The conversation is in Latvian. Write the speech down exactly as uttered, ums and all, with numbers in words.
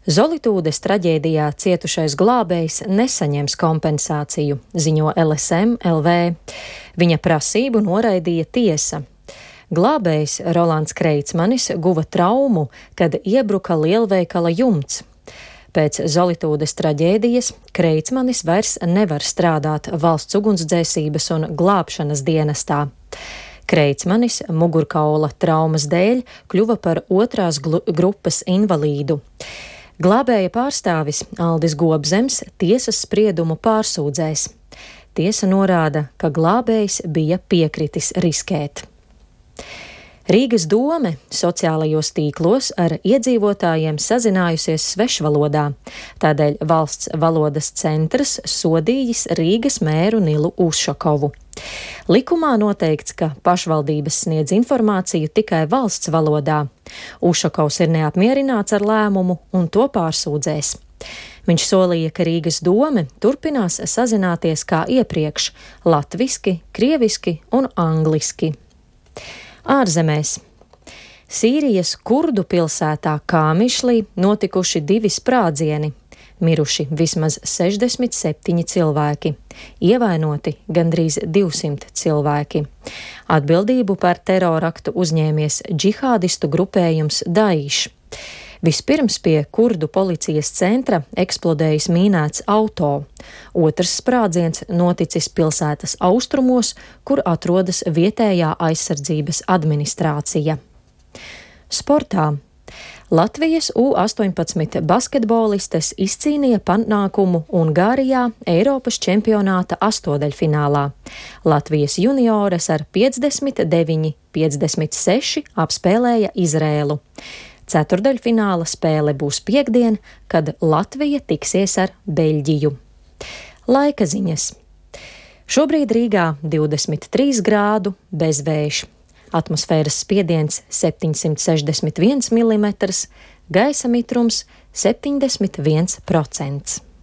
Zolitūdes traģēdijā cietušais glābējs nesaņems kompensāciju, ziņo L S M L V. Viņa prasību noraidīja tiesa. Glābējs Rolands Kreitsmanis guva traumu, kad iebruka lielveikala jumts. Pēc Zolitūdes traģēdijas Kreitsmanis vairs nevar strādāt valsts ugunsdzēsības un glābšanas dienestā. Kreitsmanis mugurkaula traumas dēļ kļuva par otrās grupas invalīdu. Glābēja pārstāvis Aldis Gobzems tiesas spriedumu pārsūdzēs. Tiesa norāda, ka glābējs bija piekritis riskēt. Rīgas dome sociālajos tīklos ar iedzīvotājiem sazinājusies svešvalodā, tādēļ valsts valodas centrs sodījis Rīgas mēru Nilu Ušakovu. Likumā noteikts, ka pašvaldības sniedz informāciju tikai valsts valodā. Ušakovs ir neapmierināts ar lēmumu un to pārsūdzēs. Viņš solīja, ka Rīgas dome turpinās sazināties kā iepriekš – latviski, krieviski un angliski. Ārzemēs. Sīrijas kurdu pilsētā Kāmišlī notikuši divi sprādzieni. Miruši vismaz sešdesmit septiņi cilvēki, ievainoti gandrīz divsimt cilvēki. Atbildību par teroraktu uzņēmies džihādistu grupējums Daiš. Vispirms pie kurdu policijas centra eksplodējis mīnēts auto. Otrs sprādziens noticis pilsētas austrumos, kur atrodas vietējā aizsardzības administrācija. Sportā. Latvijas U astoņpadsmit basketbolistes izcīnīja panākumu Ungārijā Eiropas čempionāta astodaļfinālā. Latvijas juniores ar piecdesmit deviņi piecdesmit seši apspēlēja Izrēlu. Ceturdaļfināla spēle būs piektdien, kad Latvija tiksies ar Beļģiju. Laika ziņas. Šobrīd Rīgā divdesmit trīs grādu bezvējš. Atmosfēras spiediens septiņsimt sešdesmit viens milimetrs, gaisa mitrums septiņdesmit viens procents.